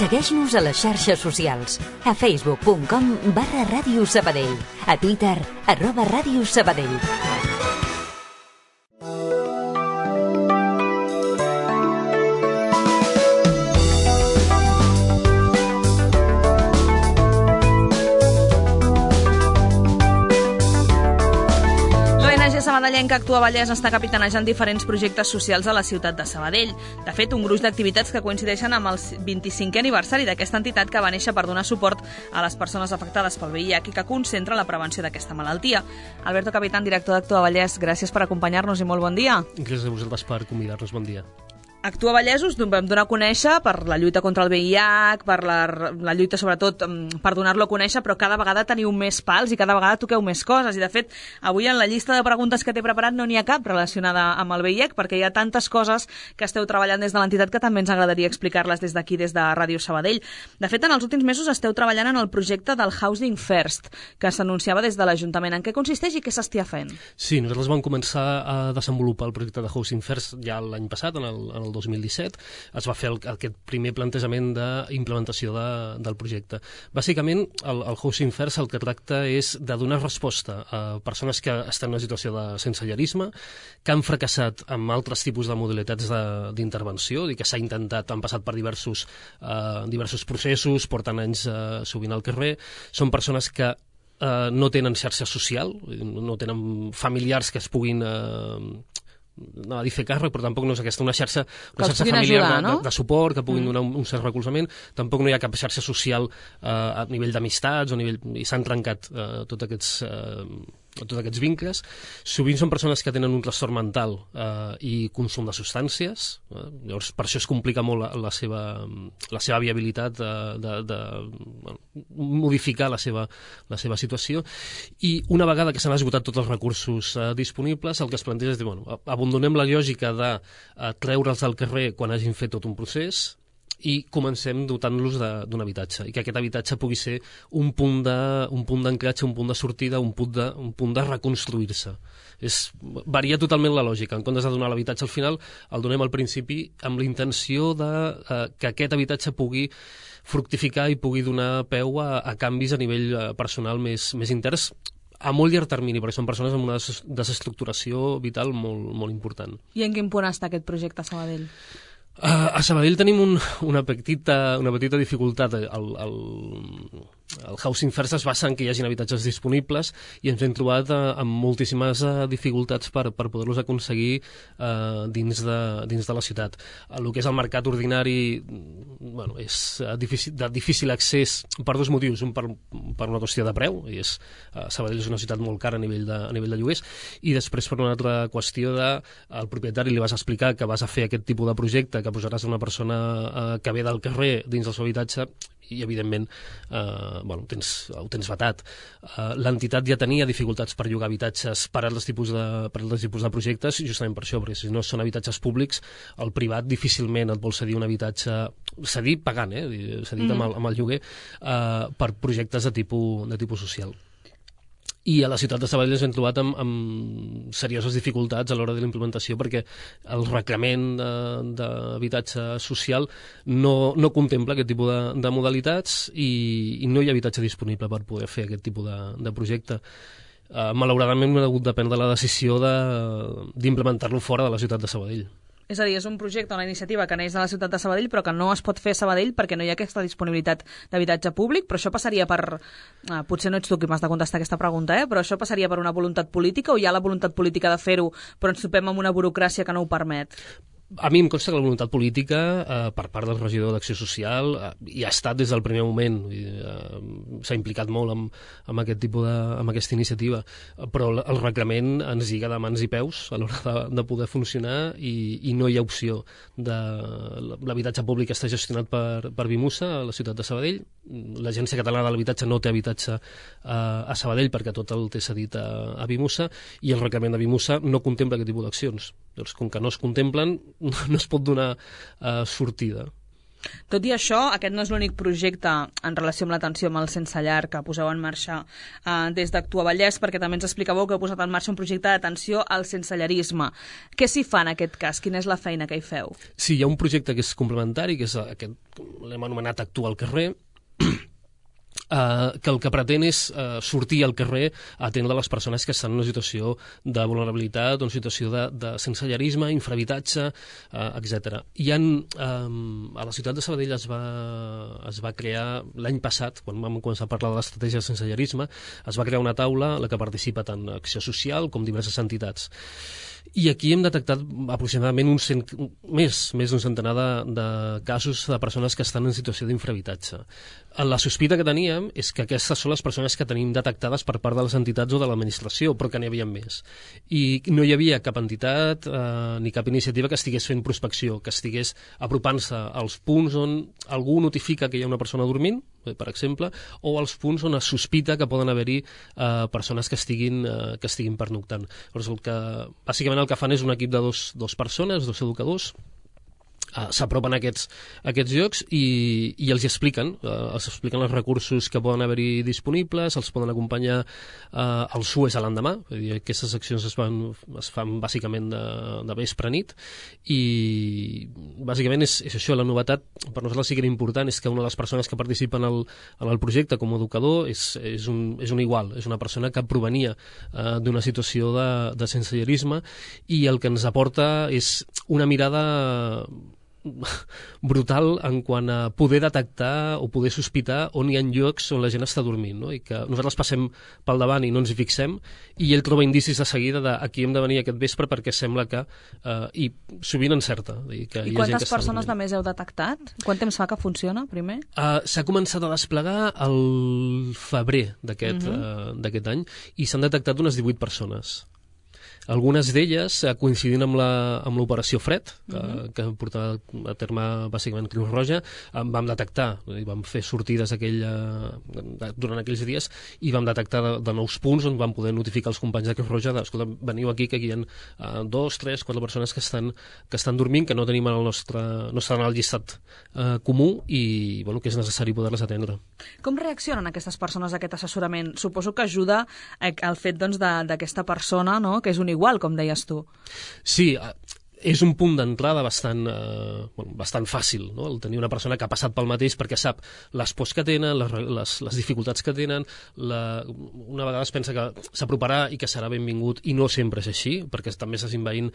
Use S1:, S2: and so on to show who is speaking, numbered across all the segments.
S1: Segueix-nos a les xarxes socials. A facebook.com/Ràdio Sabadell. A Twitter, @Ràdio Sabadell.
S2: Sabadellenca Actua Vallès està capitanejant diferents projectes socials a la ciutat de Sabadell. De fet, un gruix d'activitats que coincideixen amb el 25è aniversari d'aquesta entitat que va néixer per donar suport a les persones afectades pel VIH i que concentra la prevenció d'aquesta malaltia. Alberto Capitán, director d'Actua Vallès, gràcies per acompanyar-nos i molt bon dia.
S3: Gràcies a vosaltres per convidar-nos, bon dia.
S2: Actua Vallès us vam donar a conèixer per la lluita contra el VIH, per la lluita sobretot per donar-lo a conèixer, però cada vegada teniu més pals i cada vegada toqueu més coses. I de fet, avui en la llista de preguntes que t'he preparat no n'hi ha cap relacionada amb el VIH, perquè hi ha tantes coses que esteu treballant des de l'entitat que també ens agradaria explicar-les des d'aquí, des de Ràdio Sabadell. De fet, en els últims mesos esteu treballant en el projecte del Housing First, que s'anunciava des de l'Ajuntament. En què consisteix i què s'estia fent?
S3: Sí, nosaltres vam començar a desenvolupar el projecte de Housing First ja l'any passat, en el 2017, es va fer aquest primer plantejament d'implementació del projecte. Bàsicament, el Housing First el que tracta és de donar resposta a persones que estan en una situació de sensellarisme, que han fracassat amb altres tipus de modalitats d'intervenció, i que s'ha intentat, han passat per diversos processos, porten anys sovint al carrer. Són persones que no tenen xarxa social, no tenen familiars que es puguin no a dir fer càrrec, però tampoc no és una xarxa familiar
S2: ajudar, no?
S3: de suport, que puguin donar un cert recolzament. Tampoc no hi ha cap xarxa social a nivell d'amistats, i s'han trencat tots aquests vincles. Sovint són persones que tenen un trastorn mental i consum de substàncies, llavors per això es complica molt la seva viabilitat de modificar la seva situació, i una vegada que s'han esgotat tots els recursos disponibles, el que es planteja és dir, abandonem la lògica de treure'ls del carrer quan hagin fet tot un procés i comencem dotant-los d'un habitatge, i que aquest habitatge pugui ser un punt d'anclatge, un punt de sortida, un punt de reconstruir-se. Varia totalment la lògica. En comptes de donar l'habitatge al final, el donem al principi amb la intenció que aquest habitatge pugui fructificar i pugui donar peu a canvis a nivell personal més interns, a molt llarg termini, perquè són persones amb una desestructuració vital molt important.
S2: I en quin punt està aquest projecte a Sabadell?
S3: A Sabadell tenim una petita dificultat. El Housing First es basa en que hi hagin habitatges disponibles, i ens hem trobat amb moltíssimes dificultats per poder-los aconseguir dins de la ciutat. El que és el mercat ordinari és de difícil accés per dos motius. Un, per una qüestió de preu, i Sabadell és una ciutat molt cara a nivell de lloguers, i després per una altra qüestió al propietari li vas explicar que vas a fer aquest tipus de projecte, que posaràs una persona que ve del carrer dins del seu habitatge, i evidentment ho tens vetat. L'entitat ja tenia dificultats per llogar habitatges per altres tipus de projectes, justament per això, perquè si no són habitatges públics, el privat difícilment et vol cedir un habitatge, cedir pagant, cedit amb el lloguer, per projectes de tipus social. I a la ciutat de Sabadell ens hem trobat amb serioses dificultats a l'hora de la implementació, perquè el reglament d'habitatge social no contempla aquest tipus de modalitats, i no hi ha habitatge disponible per poder fer aquest tipus de projecte. Malauradament hem hagut de prendre la decisió d'implementar-lo fora de la ciutat de Sabadell.
S2: És a dir, és un projecte, una iniciativa que neix de la ciutat de Sabadell, però que no es pot fer a Sabadell perquè no hi ha aquesta disponibilitat d'habitatge públic, però això passaria per... potser no ets tu qui m'has de contestar aquesta pregunta, però això passaria per una voluntat política, o hi ha la voluntat política de fer-ho, però ens topem amb una burocràcia que no ho permet?
S3: A mi em consta que la voluntat política per part del regidor d'Acció Social hi ha estat des del primer moment, s'ha implicat molt amb aquesta iniciativa, però el reglament ens lliga de mans i peus a l'hora de poder funcionar, i no hi ha opció. L'habitatge públic està gestionat per Vimusa a la ciutat de Sabadell. L'Agència Catalana de l'Habitatge no té habitatge a Sabadell perquè tot el té cedit a Vimusa, i el reglament de Vimusa no contempla aquest tipus d'accions. Doncs com que no es contemplen, no es pot donar sortida.
S2: Tot i això, aquest no és l'únic projecte en relació amb l'atenció amb el sense llar que poseu en marxa des d'Actua Vallès, perquè també ens explicàveu que heu posat en marxa un projecte d'atenció al sensellarisme. Què s'hi fa en aquest cas? Quina és la feina que hi feu?
S3: Sí, hi ha un projecte que és complementari, que és aquest, l'hem anomenat Actua al carrer, que el que pretén és sortir al carrer a atendre les persones que estan en una situació de vulnerabilitat, en una situació de sensellarisme, infrahabitatge, etc. A la ciutat de Sabadell es va crear l'any passat, quan vam començar a parlar de l'estratègia de sensellarisme, es va crear una taula en la que participa tant Acció Social com diverses entitats. I aquí hem detectat aproximadament més d'un centenar de casos de persones que estan en situació d'infrahabitatge. La sospita que teníem és que aquestes són les persones que tenim detectades per part de les entitats o de l'administració, però que n'hi havia més. I no hi havia cap entitat ni cap iniciativa que estigués fent prospecció, que estigués apropant-se als punts on algú notifica que hi ha una persona dormint, per exemple, o als punts on es sospita que poden haver-hi persones que estiguin pernoctant. Bàsicament el que fan és un equip de dos persones, dos educadors, s'apropen a aquests llocs i els expliquen els recursos que poden haver-hi disponibles, els poden acompanyar als SUES a l'endemà. Aquestes accions es fan bàsicament de vespre a nit i bàsicament és això. La novetat per nosaltres sí que era important és que una de les persones que participen en el projecte com a educador és un igual, és una persona que provenia d'una situació de sensellarisme i el que ens aporta és una mirada brutal en quant a poder detectar o poder sospitar on hi ha llocs on la gent està dormint, no? I que nosaltres passem pel davant i no ens hi fixem i ell troba indicis de seguida de aquí hem de venir aquest vespre perquè sembla que i sovint encerta. I
S2: quantes persones de més heu detectat? Quant temps fa que funciona, primer?
S3: S'ha començat a desplegar el febrer d'aquest any i s'han detectat unes 18 persones. Algunes d'elles coincidint amb l'operació Fred, que portava a terme bàsicament Creu Roja, vam detectar i vam fer sortides durant aquells dies i vam detectar de nous punts on vam poder notificar els companys de Creu Roja escolta, veniu aquí que aquí hi ha 2, 3, 4 persones que estan dormint, que no tenim no estan al llistat comú i que és necessari poder-les atendre.
S2: Com reaccionen aquestes persones a aquest assessorament? Suposo que ajuda al fet d'aquesta persona, no?, que és un igual, com deies tu.
S3: Sí, és un punt d'entrada bastant fàcil, no? El tenir una persona que ha passat pel mateix perquè sap les pors que tenen, les dificultats que tenen, una vegada es pensa que s'aproparà i que serà benvingut i no sempre és així, perquè també s'està envaint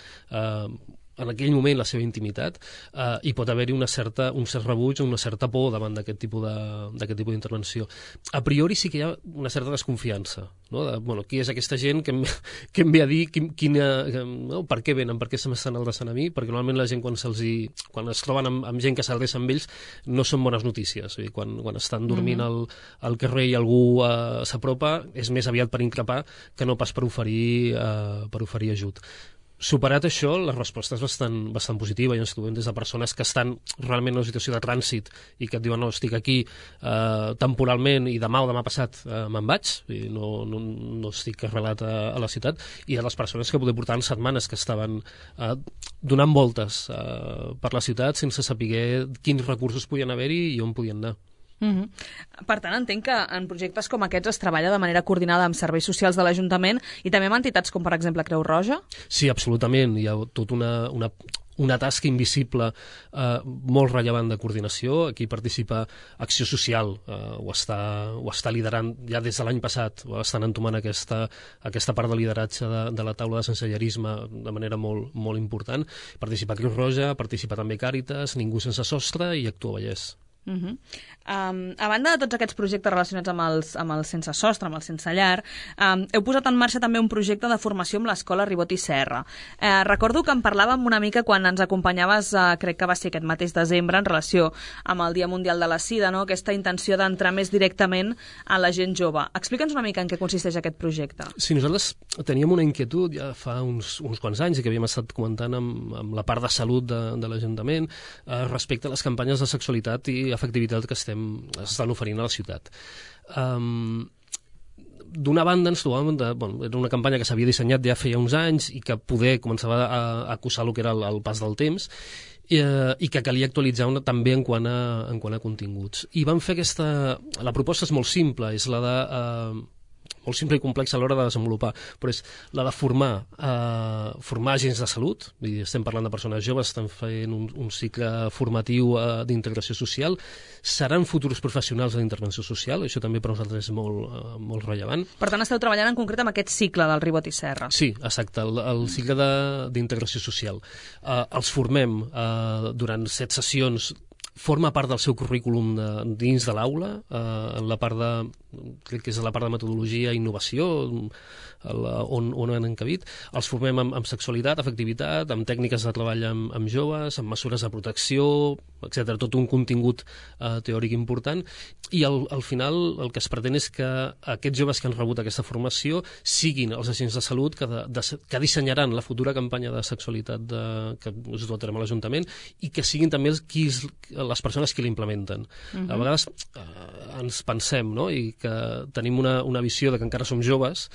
S3: en aquell moment la seva intimitat i pot haver-hi un cert rebuig o una certa por davant d'aquest tipus d'intervenció. A priori sí que hi ha una certa desconfiança, no? Qui és aquesta gent que em ve a dir per què venen, per què se m'estan adreçant a mi, perquè normalment la gent quan es troben amb gent que s'adreça amb ells no són bones notícies. Quan estan dormint al carrer i algú s'apropa és més aviat per increpar que no pas per oferir ajut. Superat això, la resposta és bastant positiva i ens trobem des de persones que estan realment en una situació de trànsit i que et diuen no, estic aquí temporalment i demà o demà passat me'n vaig i no estic arrelat a la ciutat, i de les persones que poder portar setmanes que estaven donant voltes per la ciutat sense saber quins recursos podien haver-hi i on podien anar.
S2: Per tant, entenc que en projectes com aquests es treballa de manera coordinada amb serveis socials de l'Ajuntament i també amb entitats com, per exemple, Creu Roja?
S3: Sí, absolutament. Hi ha tota una tasca invisible molt rellevant de coordinació. Aquí participa Acció Social, ho està liderant ja des de l'any passat, estan entomant aquesta part de lideratge de la taula de sensellarisme de manera molt, molt important. Participa Creu Roja, participa també Càritas, Ningú Sense Sostre i Actua Vallès.
S2: A banda de tots aquests projectes relacionats amb el sense sostre, amb el sense llar, heu posat en marxa també un projecte de formació amb l'Escola Ribot i Serra. Recordo que en parlàvem una mica quan ens acompanyaves, crec que va ser aquest mateix desembre, en relació amb el Dia Mundial de la Sida, no? Aquesta intenció d'entrar més directament a la gent jove. Explica'ns una mica en què consisteix aquest projecte.
S3: Sí, nosaltres teníem una inquietud ja fa uns quants anys i que havíem estat comentant amb la part de salut de l'Ajuntament respecte a les campanyes de sexualitat i efectivitat que estan oferint a la ciutat. D'una banda ens trobàvem era una campanya que s'havia dissenyat ja feia uns anys i que poder començava a acusar el que era el pas del temps i que calia actualitzar també en quant a continguts. I vam fer la proposta és molt simple, és la de... molt simple i complexa a l'hora de desenvolupar, però és la de formar agents de salut, estem parlant de persones joves, estan fent un cicle formatiu d'integració social, seran futurs professionals d'intervenció social, això també per nosaltres és molt rellevant.
S2: Per tant, esteu treballant en concret amb aquest cicle del Ribot i Serra.
S3: Sí, exacte, el cicle d'integració social. Els formem durant 7 sessions. Forma part del seu currículum dins de l'aula, en la part crec que és la part de metodologia i innovació, on han encabit. Els formem amb sexualitat, afectivitat, amb tècniques de treball amb joves, amb mesures de protecció, etc. Tot un contingut teòric important. I al final el que es pretén és que aquests joves que han rebut aquesta formació siguin els agents de salut que dissenyaran la futura campanya de sexualitat que es du a terme a l'Ajuntament i que siguin també les persones que l'implementen. A vegades ens pensem, no?, i que tenim una visió de que encara som joves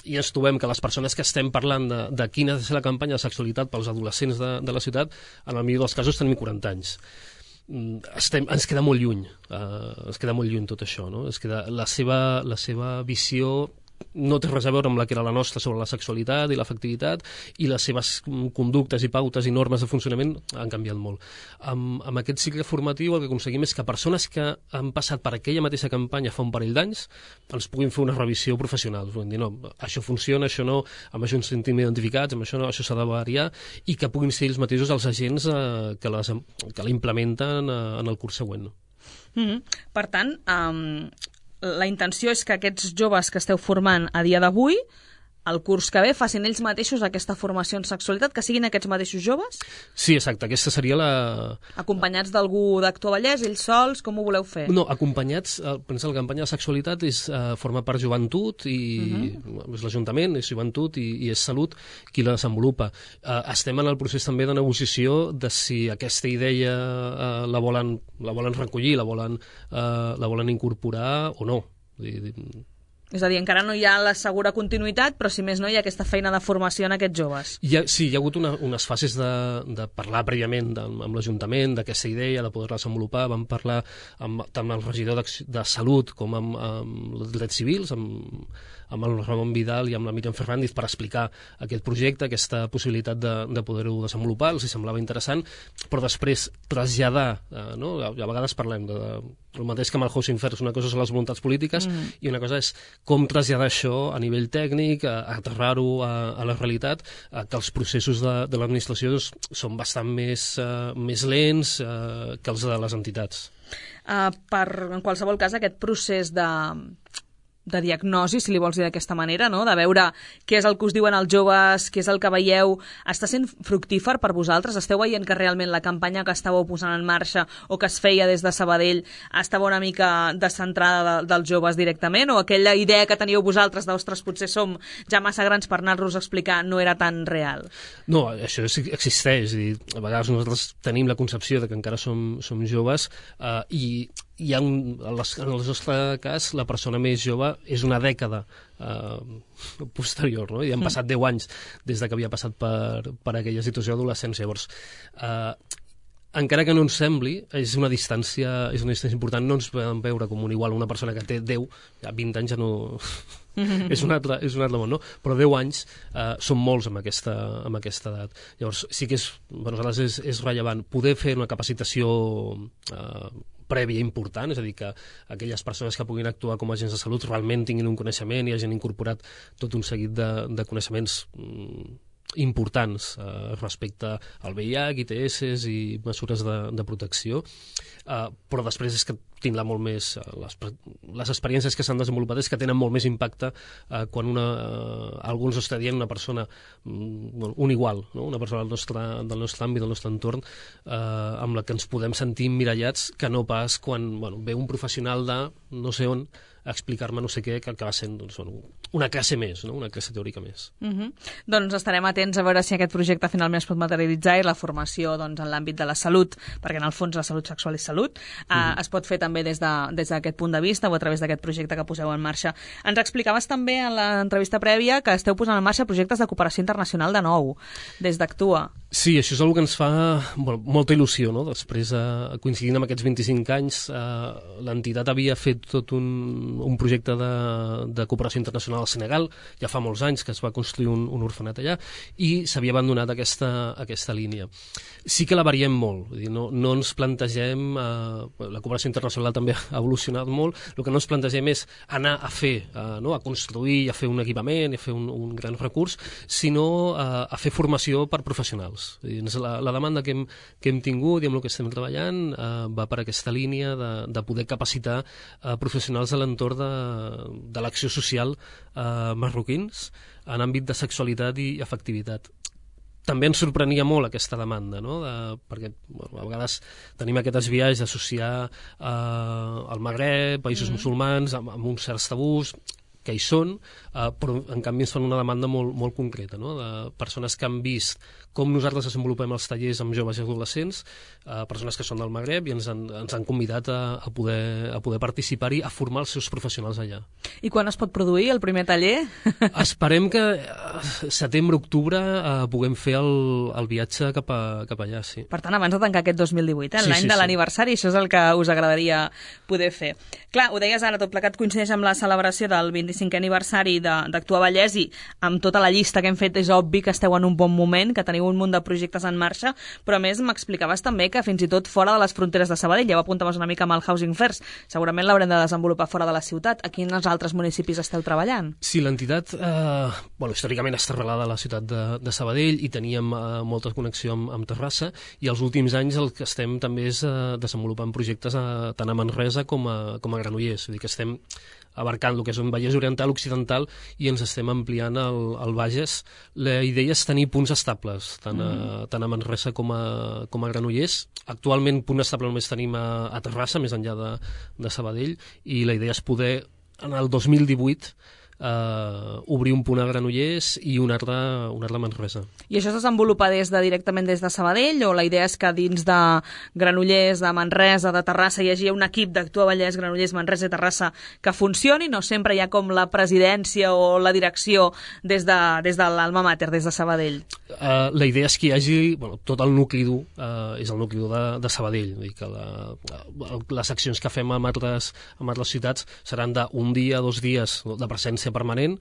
S3: i ens trobem que les persones que estem parlant de quina ha de ser la campanya de sexualitat pels adolescents de la ciutat, en el millor dels casos tenim 40 anys. Ens queda molt lluny tot això, no? La seva visió no té res a veure amb la que era la nostra sobre la sexualitat i l'afectivitat, i les seves conductes i pautes i normes de funcionament han canviat molt. Amb aquest cicle formatiu el que aconseguim és que persones que han passat per aquella mateixa campanya fa un parell d'anys ens puguin fer una revisió professional, puguin dir, no, això funciona, això no, amb això ens sentim identificats, amb això s'ha de variar, i que puguin ser ells mateixos els agents que la implementen en el curs següent.
S2: Per tant, la intenció és que aquests joves que esteu formant a dia d'avui, el curs que ve, facin ells mateixos aquesta formació en sexualitat, que siguin aquests mateixos joves?
S3: Sí, exacte, aquesta seria la...
S2: Acompanyats d'algú d'Actua Vallès, ells sols, com ho voleu fer?
S3: No, acompanyats, pensa, la campanya de sexualitat forma part joventut, i és l'Ajuntament, és joventut i és salut qui la desenvolupa. Estem en el procés també de negociació de si aquesta idea la volen recollir, la volen incorporar o no.
S2: És a dir, encara no hi ha la segura continuïtat, però si més no hi ha aquesta feina de formació en aquests joves.
S3: Sí, hi ha hagut unes fases de parlar prèviament amb l'Ajuntament d'aquesta idea, de poder-la desenvolupar. Vam parlar tant amb el regidor de Salut com amb els drets civils, amb el Ramon Vidal i amb la Míriam Fernández, per explicar aquest projecte, aquesta possibilitat de poder-ho desenvolupar. Els semblava interessant, però després traslladar, no? A vegades parlem el mateix que amb el Housing First, una cosa són les voluntats polítiques i una cosa és com traslladar això a nivell tècnic, aterrar-ho a la realitat, que els processos de l'administració són bastant més lents que els de les entitats.
S2: En qualsevol cas, aquest procés de diagnosi, si li vols dir d'aquesta manera, no? De veure què és el que us diuen els joves, què és el que veieu, està sent fructífer per vosaltres? Esteu veient que realment la campanya que estàveu posant en marxa o que es feia des de Sabadell estava una mica descentrada dels joves directament, o aquella idea que teníeu vosaltres d'ostres, potser som ja massa grans per anar-los a explicar, no era tan real?
S3: No, això existeix, i a vegades nosaltres tenim la concepció de que encara som joves, i en el nostre cas la persona més jove és una dècada posterior, no? I han passat 10 anys des que havia passat per aquella situació d'adolescència. Llavors, encara que no ens sembli, és una distància important. No ens podem veure com una persona que té 10, ja 20 anys ja no... és un altre món, no? Però 10 anys són molts amb aquesta edat. Llavors, sí que per nosaltres és rellevant poder fer una capacitació prèvia important, és a dir, que aquelles persones que puguin actuar com a agents de salut realment tinguin un coneixement i hagin incorporat tot un seguit de coneixements importants respecte al VIH, ITS i mesures de protecció, però després és que tindrà molt més... Les experiències que s'han desenvolupat és que tenen molt més impacte quan algú ens està dient una persona, un igual, no? Una persona del nostre àmbit, del nostre entorn, amb la que ens podem sentir emmirallats, que no pas quan ve un professional de no sé on a explicar-me no sé què, que acaba sent una classe més, no? Una classe teòrica més.
S2: Doncs estarem atents a veure si aquest projecte finalment es pot materialitzar, i la formació en l'àmbit de la salut, perquè en el fons la salut sexual és salut, es pot fer també des d'aquest punt de vista o a través d'aquest projecte que poseu en marxa. Ens explicaves també en l'entrevista prèvia que esteu posant en marxa projectes de cooperació internacional de nou, des d'Actua.
S3: Sí, això és una que ens fa molta il·lusió, no? Després, coincidint amb aquests 25 anys, l'entitat havia fet tot un projecte de cooperació internacional al Senegal, ja fa molts anys que es va construir un orfenat allà, i s'havia abandonat aquesta línia. Sí que la variem molt, vull dir, no ens plantegem, la cooperació internacional també ha evolucionat molt, el que no ens plantegem és anar a fer, a construir i a fer un equipament, a fer un gran recurs, sinó a fer formació per professionals. La demanda que hem tingut i amb el que estem treballant va per aquesta línia de poder capacitar professionals de l'entorn de l'acció social marroquins en àmbit de sexualitat i afectivitat. També ens sorprenia molt aquesta demanda, no? Perquè a vegades tenim aquests viatges d'associar el Magreb, països musulmans, amb uns certs tabús que hi són, però en canvi ens fan una demanda molt concreta, no? De persones que han vist com nosaltres desenvolupem els tallers amb joves i adolescents, persones que són del Magreb, i ens han convidat a poder participar-hi, a formar els seus professionals allà.
S2: I quan es pot produir el primer taller?
S3: Esperem que setembre-octubre puguem fer el viatge cap allà, sí.
S2: Per tant, abans de tancar aquest 2018,
S3: Sí,
S2: l'any de l'aniversari, això és el que us agradaria poder fer. Clar, ho deies ara, tot plegat coincideix amb la celebració del 25è aniversari d'Actua Vallès, i amb tota la llista que hem fet és obvi que esteu en un bon moment, que teniu un munt de projectes en marxa, però a més m'explicaves també que fins i tot fora de les fronteres de Sabadell, ja ho apuntaves una mica amb el Housing First, segurament l'haurem de desenvolupar fora de la ciutat. A quins altres municipis esteu treballant?
S3: Sí, l'entitat, històricament està arrelada a la ciutat de Sabadell i teníem molta connexió amb Terrassa, i els últims anys el que estem també és desenvolupant projectes tant a Manresa com a Granollers, vull dir que estem abarcant el que és un Vallès Oriental, Occidental, i ens estem ampliant al Bages. La idea és tenir punts estables, tant a Manresa com a Granollers. Actualment, punt estable només tenim a Terrassa, més enllà de Sabadell, i la idea és poder, en el 2018, obrir un punt a Granollers i un altre a Manresa.
S2: I això es desenvolupa directament des de Sabadell, o la idea és que dins de Granollers, de Manresa, de Terrassa hi hagi un equip d'Actua Vallès, Granollers, Manresa i Terrassa que funcioni, no sempre hi ha com la presidència o la direcció des de l'Alma Mater, des de Sabadell?
S3: La idea és que hi hagi tot el nucli dur, és el nucli dur de Sabadell, vull dir que les accions que fem amb altres ciutats seran d'un dia, 2 dies de presència permanent,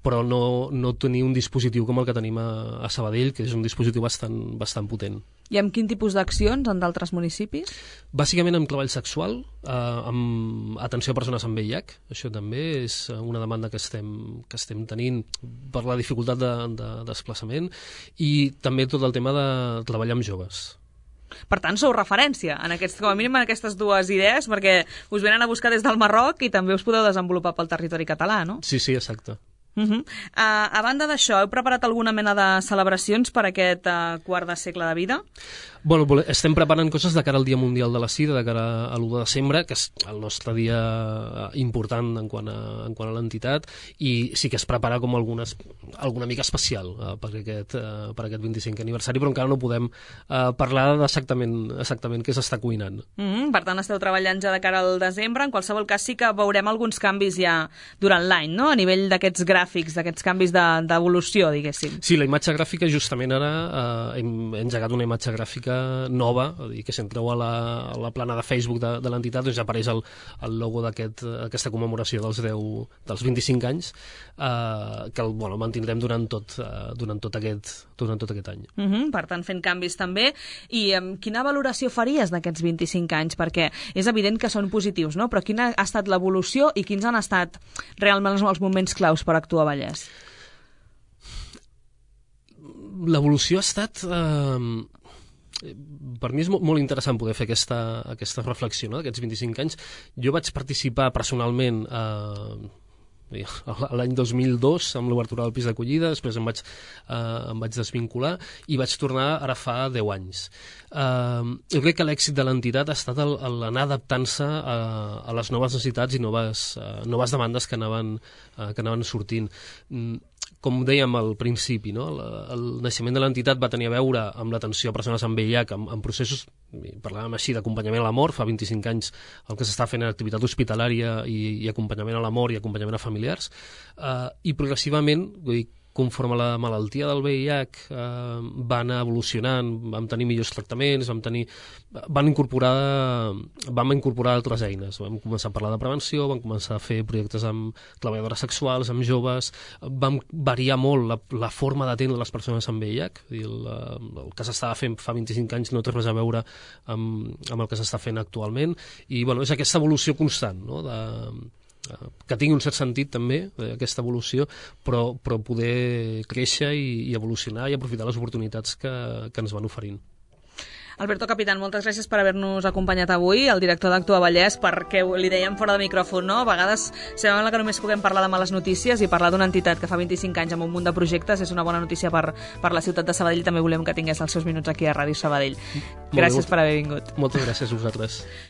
S3: però no tenir un dispositiu com el que tenim a Sabadell, que és un dispositiu bastant potent.
S2: I amb quin tipus d'accions en d'altres municipis?
S3: Bàsicament amb treball sexual, amb atenció a persones amb VIH. Això també és una demanda que estem tenint per la dificultat de desplaçament, i també tot el tema de treballar amb joves.
S2: Per tant, sou referència, com a mínim en aquestes dues idees, perquè us venen a buscar des del Marroc i també us podeu desenvolupar pel territori català, no?
S3: Sí, exacte.
S2: A banda d'això, heu preparat alguna mena de celebracions per aquest quart de segle de vida?
S3: Bueno, estem preparant coses de cara al Dia Mundial de la Sida, de cara a l'1 de desembre, que és el nostre dia important en quant a l'entitat, i sí que es prepara com alguna mica especial per aquest 25è aniversari, però encara no podem parlar exactament què s'està cuinant.
S2: Per tant, esteu treballant ja de cara al desembre. En qualsevol cas, sí que veurem alguns canvis ja durant l'any, no?, a nivell d'aquests gràfics, d'aquests canvis d'evolució, diguéssim.
S3: Sí, la imatge gràfica, justament ara hem engegat una imatge gràfica nova, i que si entreu a la plana de Facebook de l'entitat, doncs ja apareix el logo d'aquesta commemoració dels 25 anys, que el mantindrem durant tot aquest any.
S2: Per tant, fent canvis també. I quina valoració faries d'aquests 25 anys? Perquè és evident que són positius, no? Però quina ha estat l'evolució i quins han estat realment els moments claus per Actua Vallès?
S3: L'evolució ha estat... Per mi és molt interessant poder fer aquesta reflexió, no?, d'aquests 25 anys. Jo vaig participar personalment l'any 2002 amb l'obertura del pis d'acollida, després em vaig desvincular i vaig tornar ara fa 10 anys. Jo crec que l'èxit de l'entitat ha estat l'anar adaptant-se a les noves necessitats i noves demandes que anaven sortint. Com dèiem al principi, no?, el naixement de l'entitat va tenir a veure amb l'atenció a persones amb VIH, amb processos, parlàvem així, d'acompanyament a la mort. Fa 25 anys el que s'està fent en activitat hospitalària i acompanyament a la mort i acompanyament a familiars, i progressivament, conforme la malaltia del VIH va anar evolucionant, vam tenir millors tractaments, vam incorporar altres eines. Vam començar a parlar de prevenció, vam començar a fer projectes amb treballadores sexuals, amb joves, vam variar molt la forma d'atendre les persones amb VIH. El que s'estava fent fa 25 anys no té res a veure amb el que s'està fent actualment, i és aquesta evolució constant, no? Que tingui un cert sentit també, aquesta evolució, però poder créixer i evolucionar i aprofitar les oportunitats que ens van oferint.
S2: Alberto Capitán, moltes gràcies per haver-nos acompanyat avui, el director d'Actua Vallès, perquè li dèiem fora de micròfon, no? A vegades sembla que només puguem parlar de males notícies, i parlar d'una entitat que fa 25 anys amb un munt de projectes és una bona notícia per la ciutat de Sabadell. També volem que tingués els seus minuts aquí a Ràdio Sabadell. Gràcies per haver vingut.
S3: Moltes gràcies a vosaltres.